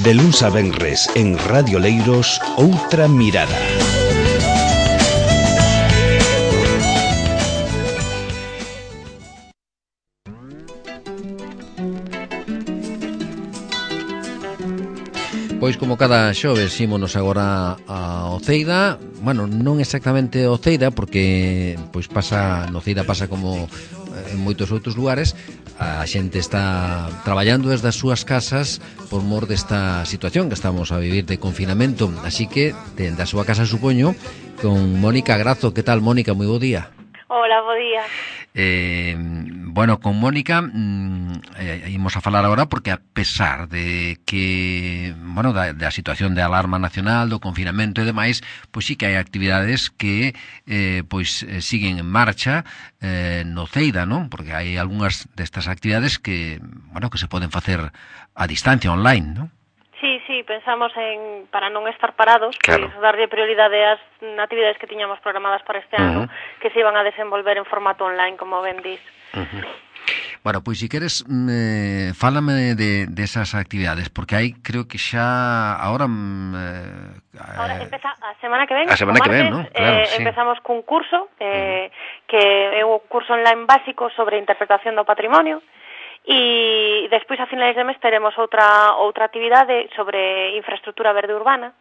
De luns a venres en Radio Leiros, Outra Mirada. Pois como cada xoves ímonos agora a Oceida. Bueno, non exactamente Oceida, porque pois no Oceida pasa como en moitos outros lugares. A xente está traballando desde as súas casas por mor desta situación que estamos a vivir de confinamento. Así que, dende a súa casa, supoño, con Mónica Grazo. Que tal, Mónica? Moi bo día. Hola, bo día. Bueno, con Mónica imos a falar agora porque, a pesar de que, bueno, da situación de alarma nacional, do confinamento e demais, pois sí que hai actividades que siguen en marcha no Ceida, non? Porque hai algunhas destas actividades que, bueno, que se poden facer a distancia, online, non? Sí, pensamos para non estar parados, claro, pois darlle prioridade ás actividades que tiñamos programadas para este ano, que se iban a desenvolver en formato online, como ben dis. Bueno, pois, si queres, fálame de esas actividades, porque hai, creo que xa agora empeza a semana que ven. A semana que ven, non? Claro, sí. Empezamos cun curso, que é o curso online básico sobre interpretación do patrimonio, e despois a finais de mes teremos outra actividade sobre infraestructura verde urbana.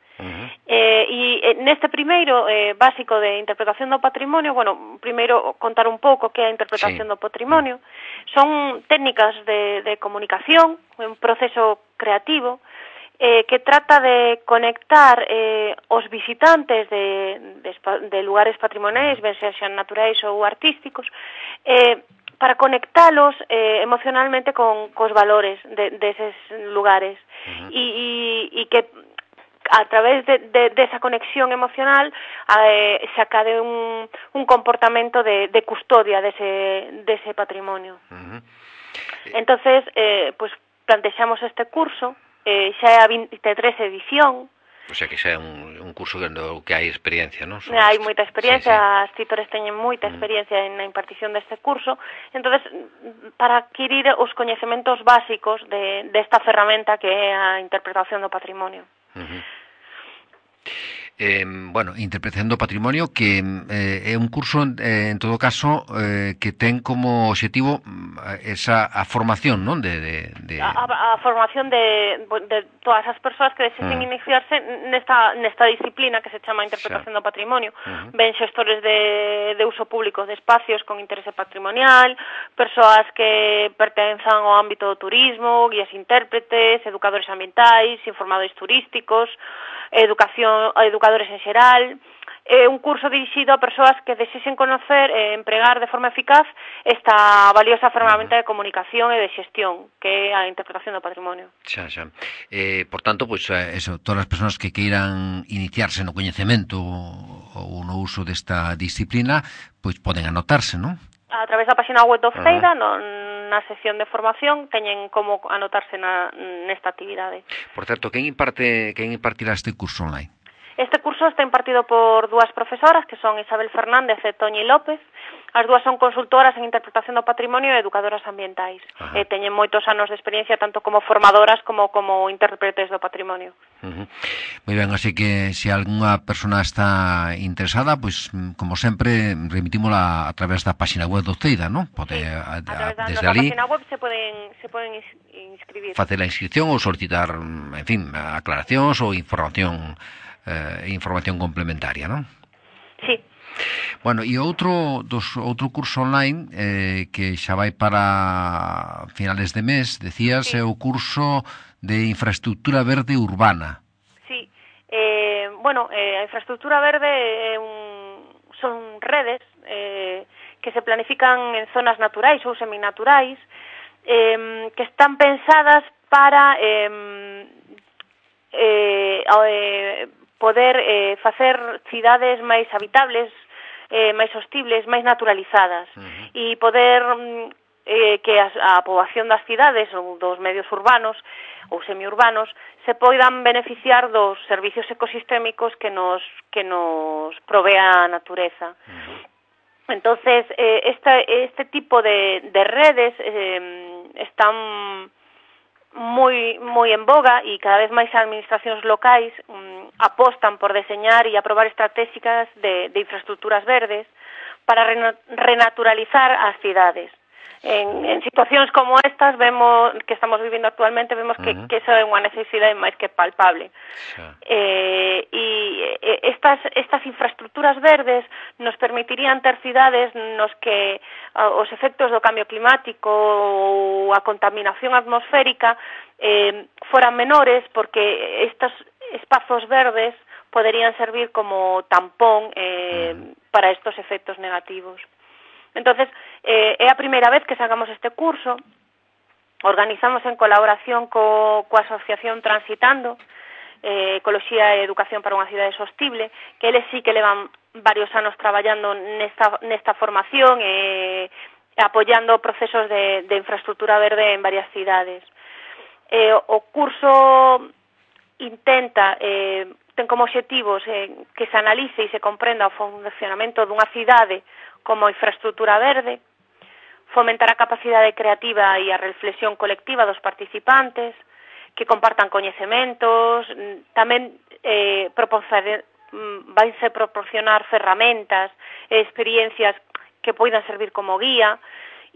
E neste primeiro básico de interpretación do patrimonio, bueno, primeiro contar un pouco que é a interpretación do patrimonio. Son técnicas de comunicación, un proceso creativo que trata de conectar os visitantes de lugares patrimoniais, ben sexan naturais ou artísticos, para conectalos emocionalmente cos valores deses lugares, e que a través de esa conexión emocional se acade un comportamento de custodia dese patrimonio. Entonces, pues plantexamos este curso, xa é a 23 edición. O sea que xa é un curso que hai experiencia, non? Hai moita experiencia, sí. As titores teñen moita experiencia na impartición deste curso. Entonces, para adquirir os coñecementos básicos desta ferramenta que é a interpretación do patrimonio. Bueno, interpretación do patrimonio, que é un curso, en todo caso, que ten como objetivo a formación, non? A formación de todas as persoas que desexen iniciarse nesta disciplina que se chama interpretación do patrimonio. Ben xestores de uso público de espacios con interese patrimonial, persoas que pertenzan ao ámbito do turismo, guías intérpretes, educadores ambientais, informadores turísticos, educadores en xeral. É un curso dirixido a persoas que desexen conocer e empregar de forma eficaz esta valiosa ferramenta de comunicación e de xestión, que é a interpretación do patrimonio. Xa. Por tanto, pois, todas as persoas que queiran iniciarse no coñecemento ou no uso desta disciplina, pois poden anotarse, non? A través da página web do Ceida, na sección de formación, teñen como anotarse nesta actividade. Por certo, quen impartirá este curso online? Este curso está impartido por dúas profesoras, que son Isabel Fernández e Toñi López. As dúas son consultoras en interpretación do patrimonio e educadoras ambientais. Teñen moitos anos de experiencia tanto como formadoras como intérpretes do patrimonio. Moi ben, así que se algunha persona está interesada, pois, como sempre, remitímola a través da página web do Ceida, non? Pode, a través da página web se poden inscribir. Facer a inscripción ou solicitar, en fin, aclaracións ou información complementaria, non? Sí. Bueno, e outro curso online que xa vai para finales de mes, decías, é o curso de infraestructura verde urbana. Sí. A infraestructura verde son redes que se planifican en zonas naturais ou seminaturais, que están pensadas para poder facer cidades máis habitables, máis sostibles, máis naturalizadas, e poder que a poboación das cidades ou dos medios urbanos ou semiurbanos se poidan beneficiar dos servicios ecosistémicos que nos provee a natureza. Entonces, este tipo de redes están moi moi en boga e cada vez máis administracións locais apostan por deseñar e aprobar estratégicas de infraestructuras verdes para renaturalizar as cidades. En situacións como estas vemos que estamos vivindo actualmente, vemos que eso é unha necesidade máis que palpable. E estas infraestructuras verdes nos permitirían ter cidades nos que os efectos do cambio climático ou a contaminación atmosférica foran menores, porque estos espazos verdes poderían servir como tampón para estos efectos negativos. Entonces, é a primeira vez que sacamos este curso. Organizamos en colaboración coa Asociación Transitando, Ecoloxía e Educación para unha cidade sostible, que eles sí que levan varios anos traballando nesta formación e apoiando procesos de infraestructura verde en varias cidades. O curso intenta, ten como obxectivos que se analice e se comprenda o funcionamento dunha cidade como infraestructura verde, fomentar a capacidade creativa e a reflexión colectiva dos participantes, que compartan coñecementos, tamén vaise proporcionar ferramentas e experiencias que poidan servir como guía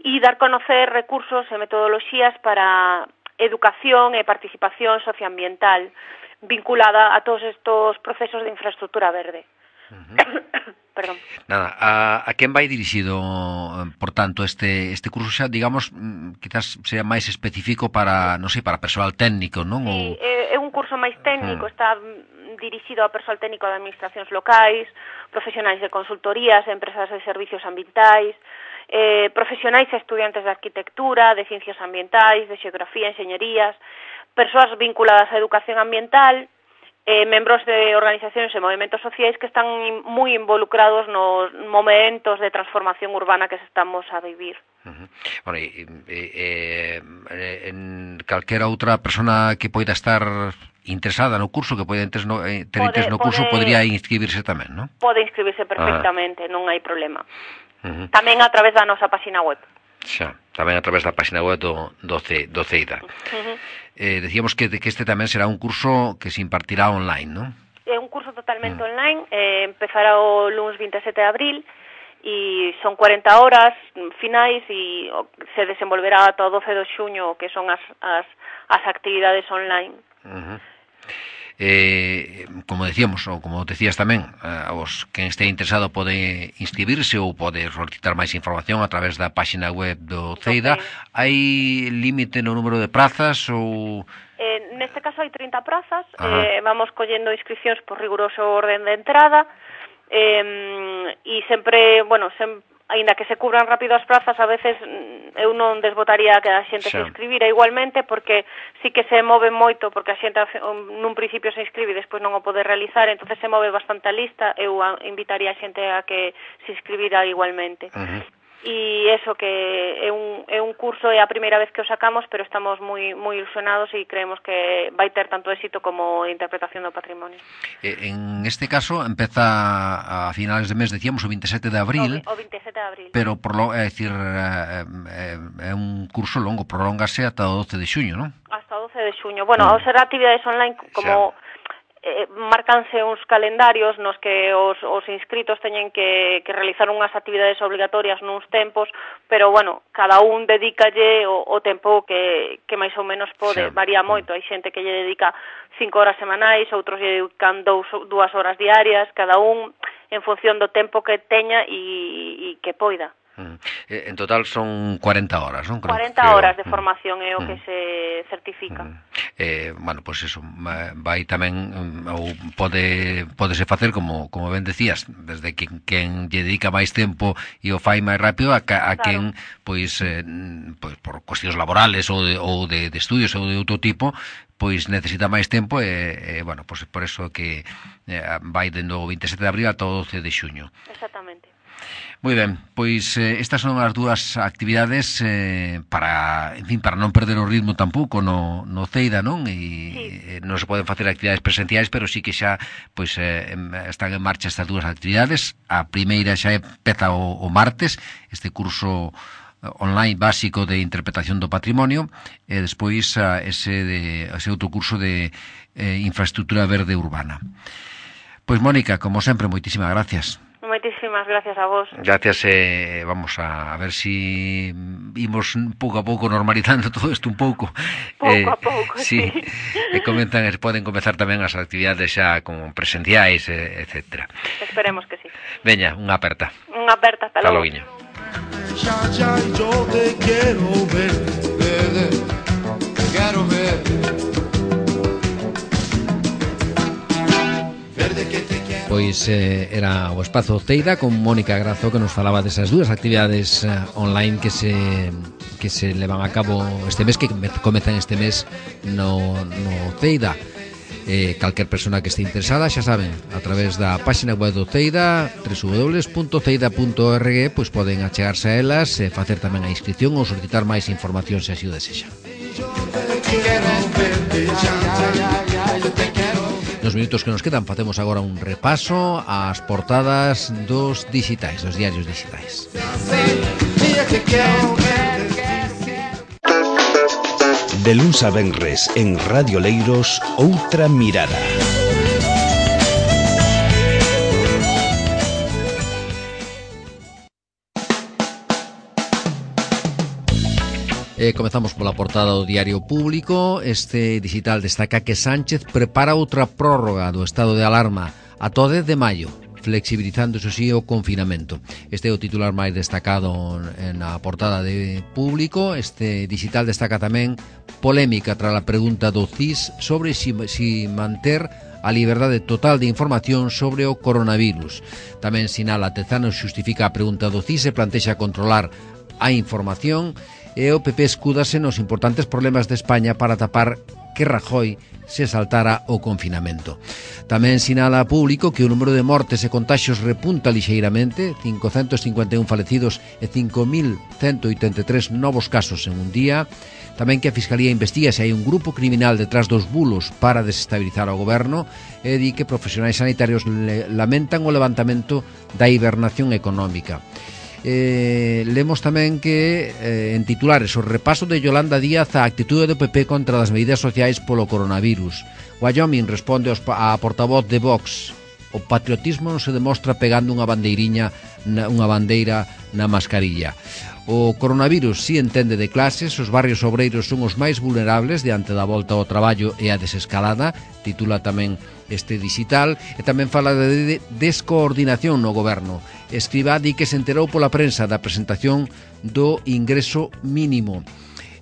e dar conocer recursos e metodoloxías para educación e participación socioambiental vinculada a todos estos procesos de infraestructura verde. Perdón. Nada, a quen vai dirixido, por tanto, este curso xa, digamos, quizás sea máis específico para, non sei, para persoal técnico, non? Sí, é un curso máis técnico, está dirixido ao persoal técnico de administracións locais, profesionais de consultorías, empresas de servicios ambientais, profesionais e estudiantes de arquitectura, de ciencias ambientais, de xeografía, enxeñerías, persoas vinculadas á educación ambiental, membros de organizacións e movimentos sociais que están moi involucrados nos momentos de transformación urbana que estamos a vivir. Bueno, en calquera outra persona que poida estar interesada no curso, que poida ter interés no curso, podría inscribirse tamén, non? Pode inscribirse perfectamente, non hai problema. Tamén a través da nosa página web. Xa, tamén a través da página web do CEIDA. Decíamos que este tamén será un curso que se impartirá online, non? É un curso totalmente online, empezará o lunes 27 de abril e son 40 horas finais e se desenvolverá ata o 12 de xuño, que son as actividades online. Como decíamos, ou como decías tamén, os quen este interesado pode inscribirse ou pode solicitar máis información a través da página web do CEIDA. Hai límite no número de prazas ou... Neste caso hai 30 prazas, vamos collendo inscripcións por riguroso orden de entrada e sempre, bueno, aínda que se cubran rápido as prazas, a veces eu non desbotaría que a xente se inscribira igualmente, porque sí que se move moito, porque a xente nun principio se inscribe e despois non o pode realizar, entonces se move bastante a lista. Eu invitaría a xente a que se inscribira igualmente. E eso, que é un curso, é a primeira vez que o sacamos, pero estamos moi ilusionados e creemos que vai ter tanto éxito como interpretación do patrimonio. En este caso empeza a finales de mes, decíamos, o 27 de abril. O 27 de abril. Pero, é dicir, é un curso longo, prolóngase ata o 12 de xuño, non? Hasta o 12 de xuño. Bueno, ao ser actividades online, como... marcanse uns calendarios nos que os inscritos teñen que realizar unhas actividades obligatorias nuns tempos, pero, bueno, cada un dedícalle o tempo que máis ou menos pode. Varía moito, hai xente que lle dedica 5 horas semanais, outros lle dedican 2 horas diarias, cada un en función do tempo que teña e que poida. En total son 40 horas, non? 40 horas de formación é o que se certifica. Bueno, pois eso, vai tamén, ou podese facer, como ben decías, desde quen lle dedica máis tempo e o fai máis rápido, a quen, pois por cuestións laborales ou de estudios ou de outro tipo, pois necesita máis tempo e bueno, pois por eso que vai dendo o 27 de abril ata o 12 de xuño. Exactamente. Moi ben, pois estas son as dúas actividades para non perder o ritmo tampouco no CEIDA, non? E non se poden facer actividades presenciais, pero sí que xa pois están en marcha estas dúas actividades. A primeira xa empeza o martes, este curso online básico de interpretación do patrimonio e despois ese outro curso de infraestructura verde urbana. Pois Mónica, como sempre, moitísimas gracias. Moitísimas gracias a vos. Gracias, vamos a ver si imos pouco a pouco normalizando todo isto un pouco. Pouco a pouco, sí. Poden comezar tamén as actividades xa como presenciais, etcétera. Esperemos que sí. Veña, unha aperta. Unha aperta, hasta logo. Yo te quiero ver, te quiero ver. Pois era o Espazo Teida con Mónica Grazo, que nos falaba desas dúas actividades online que se levan a cabo este mes, que comezan este mes no Teida. Calquer persona que este interesada, xa saben, a través da páxina web do Teida, www.teida.org, pois poden achegarse a elas e facer tamén a inscripción ou solicitar máis información se así o desexan. Nos minutos que nos quedan facemos agora un repaso ás portadas dos digitais, dos diarios digitais. De luns a venres en Radio Leiros, Outra Mirada. Comezamos pola portada do Diario Público. Este digital destaca que Sánchez prepara outra prórroga do estado de alarma ata o 10 de maio, flexibilizando, eso sí, o confinamento. Este é o titular máis destacado na portada de Público. Este digital destaca tamén polémica tras a pregunta do CIS sobre si manter a liberdade total de información sobre o coronavirus. Tamén sinala Tezano xustifica a pregunta do CIS e plantexa controlar a información, e o PP escúdase nos importantes problemas de España para tapar que Rajoy se saltara o confinamento. Tamén sinala a Público que o número de mortes e contaxios repunta lixeiramente, 551 falecidos e 5.183 novos casos en un día. Tamén que a Fiscalía investiga se hai un grupo criminal detrás dos bulos para desestabilizar o goberno, e di que profesionais sanitarios lamentan o levantamento da hibernación económica. Lemos tamén que en titulares o repaso de Yolanda Díaz á actitude do PP contra as medidas sociais polo coronavirus. Wyoming responde á portavoz de Vox: o patriotismo non se demostra pegando unha bandeira na mascarilla. O coronavirus si entende de clases, os barrios obreiros son os máis vulnerables diante da volta ao traballo e a desescalada, titula tamén este digital, e tamén fala de descoordinación no goberno. Escrivá di que se enterou pola prensa da presentación do ingreso mínimo.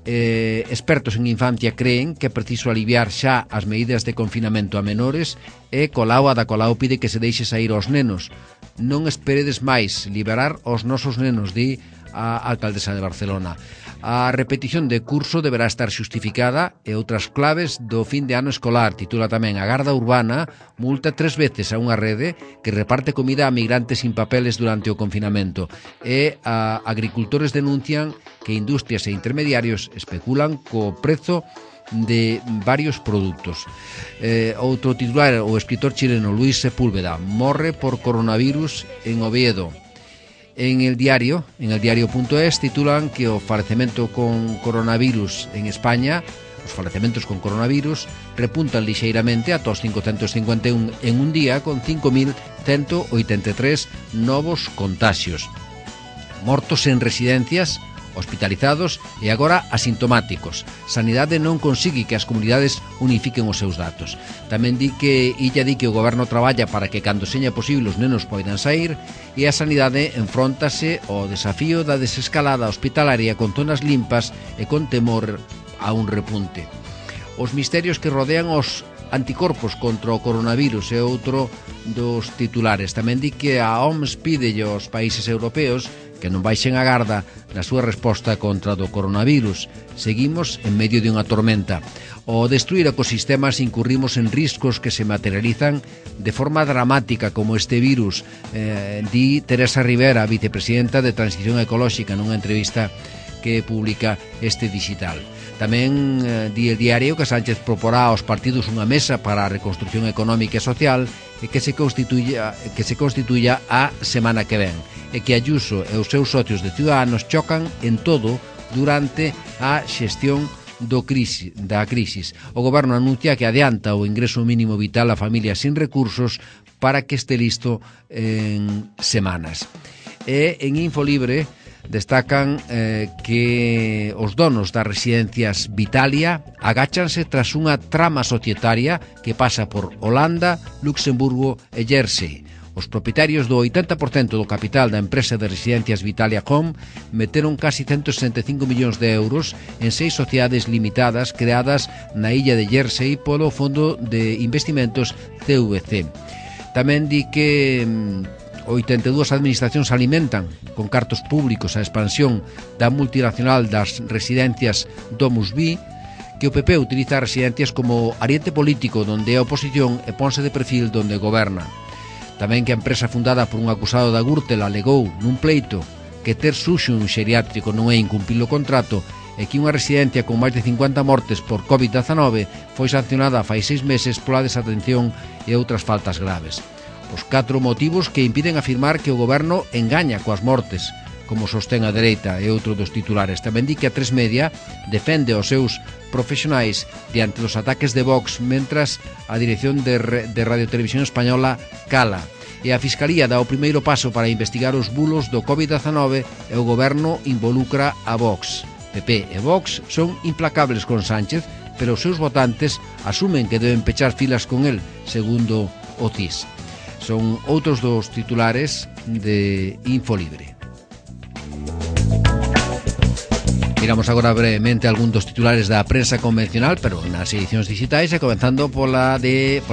Expertos en infancia creen que é preciso aliviar xa as medidas de confinamento a menores, e Ada Colau pide que se deixe sair aos nenos. Non esperedes máis, liberar os nosos nenos, di a alcaldesa de Barcelona. A repetición de curso deberá estar xustificada e outras claves do fin de ano escolar, titula tamén a Garda Urbana multa 3 veces a unha rede que reparte comida a migrantes sin papeles durante o confinamento, e a agricultores denuncian que industrias e intermediarios especulan co prezo de varios produtos. Outro titular, o escritor chileno Luis Sepúlveda morre por coronavirus en Oviedo. En el diario.es titulan que o falecemento con coronavirus en España, os falecementos con coronavirus repuntan lixeiramente ata os 551 en un día, con 5.183 novos contaxios. Mortos en residencias, hospitalizados e agora asintomáticos. Sanidade non consigue que as comunidades unifiquen os seus datos. Tamén di que o goberno traballa para que cando seña posible os nenos poidan sair, e a sanidade enfróntase ao desafío da desescalada hospitalaria con zonas limpas e con temor a un repunte. Os misterios que rodean os anticorpos contra o coronavirus é outro dos titulares. Tamén di que a OMS pide aos países europeos que non baixen a garda na súa resposta contra do coronavirus. Seguimos en medio de unha tormenta. Ao destruir ecosistemas incurrimos en riscos que se materializan de forma dramática como este virus, di Teresa Rivera, vicepresidenta de Transición Ecolóxica, nunha entrevista que publica este digital. Tamén di el diario que Sánchez proporá aos partidos unha mesa para a reconstrucción económica e social e que se constituya a semana que ven, e que Ayuso e os seus socios de Ciudadanos chocan en todo durante a xestión da crisis. O Goberno anuncia que adianta o ingreso mínimo vital a familias sin recursos para que este listo en semanas. E en Infolibre destacan que os donos das residencias Vitalia agáchanse tras unha trama societaria que pasa por Holanda, Luxemburgo e Jersey. Os propietarios do 80% do capital da empresa de residencias Vitalia Home meteron casi 165 millóns de euros en 6 sociedades limitadas creadas na illa de Jersey polo Fondo de Investimentos CVC. Tamén di que 82 administracións alimentan con cartos públicos a expansión da multinacional das residencias DomusVi, que o PP utiliza as residencias como ariete político donde é oposición e ponse de perfil donde goberna. Tamén que a empresa fundada por un acusado da Gürtel alegou nun pleito que ter suxo un xeriátrico non é incumprir o contrato e que unha residencia con máis de 50 mortes por COVID-19 foi sancionada fai 6 meses pola desatención e outras faltas graves. Os 4 motivos que impiden afirmar que o goberno engaña coas mortes, como sostén a dereita e outro dos titulares. Tamén di que a 3 Media defende os seus profesionais diante dos ataques de Vox, mentras a dirección de Radio Televisión Española cala. E a Fiscalía dá o primeiro paso para investigar os bulos do COVID-19 e o goberno involucra a Vox. PP e Vox son implacables con Sánchez, pero os seus votantes asumen que deben pechar filas con el, segundo o CIS. Son outros dos titulares de Infolibre. Miramos agora brevemente algún dos titulares da prensa convencional, pero nas edicións digitais, e comenzando pola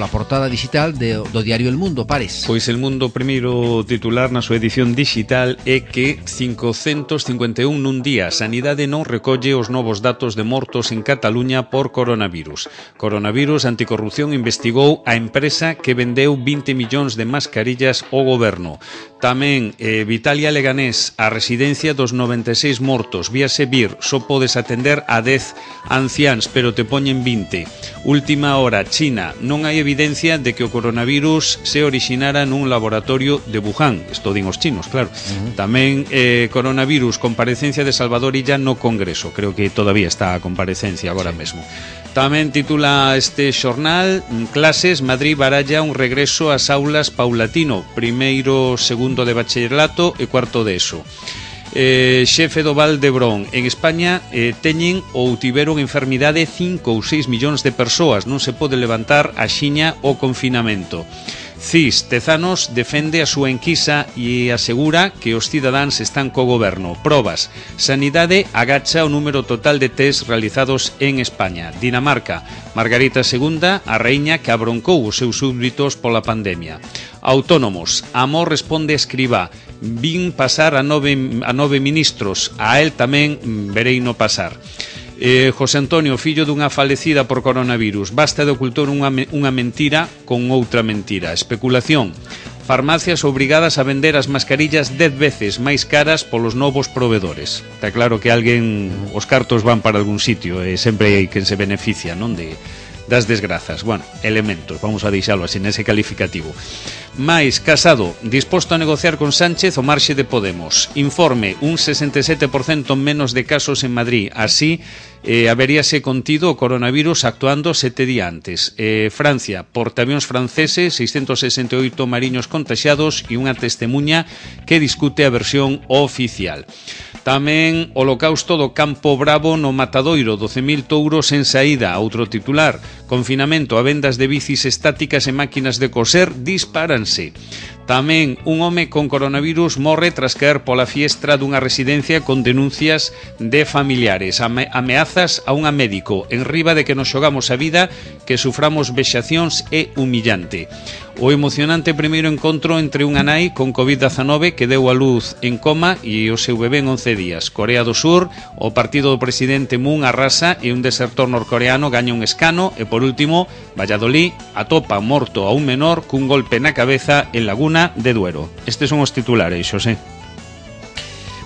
portada digital do diario El Mundo. Pares. Pois El Mundo, primeiro titular na súa edición digital é que 551 nun día. Sanidade non recolle os novos datos de mortos en Cataluña por coronavirus. Coronavirus Anticorrupción investigou a empresa que vendeu 20 millóns de mascarillas ao goberno. Tamén Vitalia Leganés, a residencia dos 96 mortos. Víase vir, só podes atender a 10 anciáns, pero te poñen 20. Última hora, China. Non hai evidencia de que o coronavirus se orixinara nun laboratorio de Wuhan. Isto din os chinos, claro. Tamén coronavirus, comparecencia de Salvador Illa no Congreso. Creo que todavía está a comparecencia agora mesmo. Tamén titula este xornal: Clases, Madrid baralla un regreso ás aulas paulatino. Primeiro, segundo de bacharelato e cuarto de ESO. Xefe do Val de Brón. En España teñen ou tiveron enfermidade 5 ou 6 millóns de persoas. Non se pode levantar axiña o confinamento. CIS, Tezanos defende a súa enquisa e asegura que os cidadáns están co goberno. Probas. Sanidade agacha o número total de test realizados en España. Dinamarca. Margarita II, a raíña que abroncou os seus súbditos pola pandemia. Autónomos. Amor responde a Escribá. Vin pasar a nove ministros. A él tamén vereino pasar. José Antonio, fillo dunha falecida por coronavirus. Basta de ocultar unha mentira con outra mentira. Especulación. Farmacias obrigadas a vender as mascarillas 10 veces máis caras polos novos provedores. Está claro que os cartos van para algún sitio e sempre hai quen se beneficia, non, das desgrazas. Bueno, elementos, vamos a deixalo así nese calificativo. Mais, Casado, disposto a negociar con Sánchez o marxe de Podemos. Informe, un 67% menos de casos en Madrid. Así, haberíase contido o coronavirus actuando 7 días antes. Francia, portaavións franceses, 668 mariños contaxiados e unha testemunha que discute a versión oficial. Tamén holocausto do Campo Bravo no Matadoiro, 12.000 touros en saída. Outro titular, confinamento a vendas de bicis estáticas e máquinas de coser dispáranse. Tamén un home con coronavirus morre tras caer pola fiestra dunha residencia con denuncias de familiares. Ameazas a unha médico. En riba de que nos xogamos a vida, que suframos vexacións é humillante. O emocionante primeiro encontro entre unha nai con COVID-19 que deu a luz en coma e o seu bebé en 11 días. Corea do Sur, o partido do presidente Moon arrasa e un desertor norcoreano gaña un escano. E por último, Valladolid atopa morto a un menor cun golpe na cabeza en Laguna de Duero. Estes son os titulares, Xosé.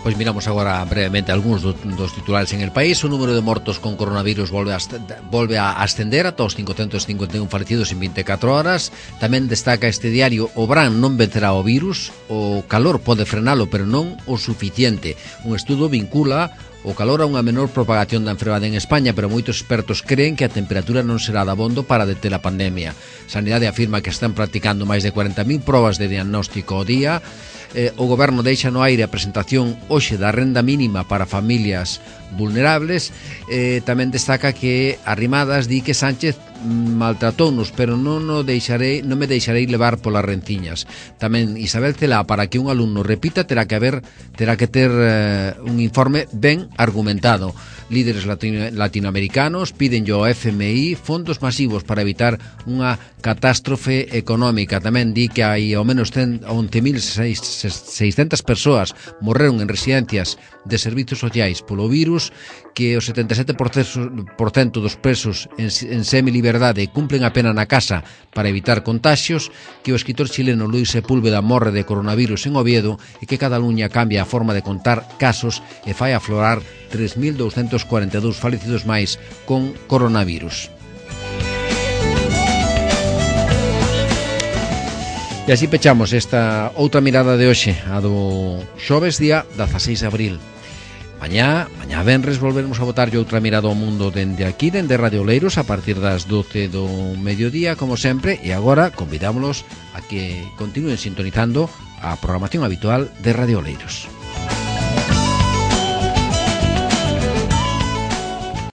Pois miramos agora brevemente algúns dos titulares en el país. O número de mortos con coronavirus volve a ascender ata os 551 falecidos en 24 horas. Tamén destaca este diario: o Bran non vencerá o virus, o calor pode frenalo, pero non o suficiente. Un estudo vincula o calor a unha menor propagación da enfermedade en España, pero moitos expertos creen que a temperatura non será dabondo para deter a pandemia. Sanidade afirma que están practicando máis de 40.000 probas de diagnóstico ao día. O goberno deixa no aire a presentación hoxe da renda mínima para familias vulnerables. Tamén destaca que Arrimadas di que Sánchez maltratounos, pero non me deixarei levar polas renciñas. Tamén Isabel Celá: para que un alumno repita terá que ter un informe ben argumentado. Líderes latinoamericanos piden ao FMI fondos masivos para evitar unha catástrofe económica. Tamén di que hai ao menos 11.600 persoas morreron en residencias de servizos sociais polo virus, que o 77% dos presos en semiliberdade cumplen a pena na casa para evitar contaxios, que o escritor chileno Luis Sepúlveda morre de coronavirus en Oviedo e que Cataluña cambia a forma de contar casos e fai aflorar 3.242 falecidos máis con coronavirus. E así pechamos esta outra mirada de hoxe, a do xoves día 16 de abril. Mañá venres volveremos a botarlle outra mirada ao mundo dende aquí, dende Radio Oleiros, a partir das 12 do mediodía, como sempre, e agora convidámolos a que continúen sintonizando a programación habitual de Radio Oleiros.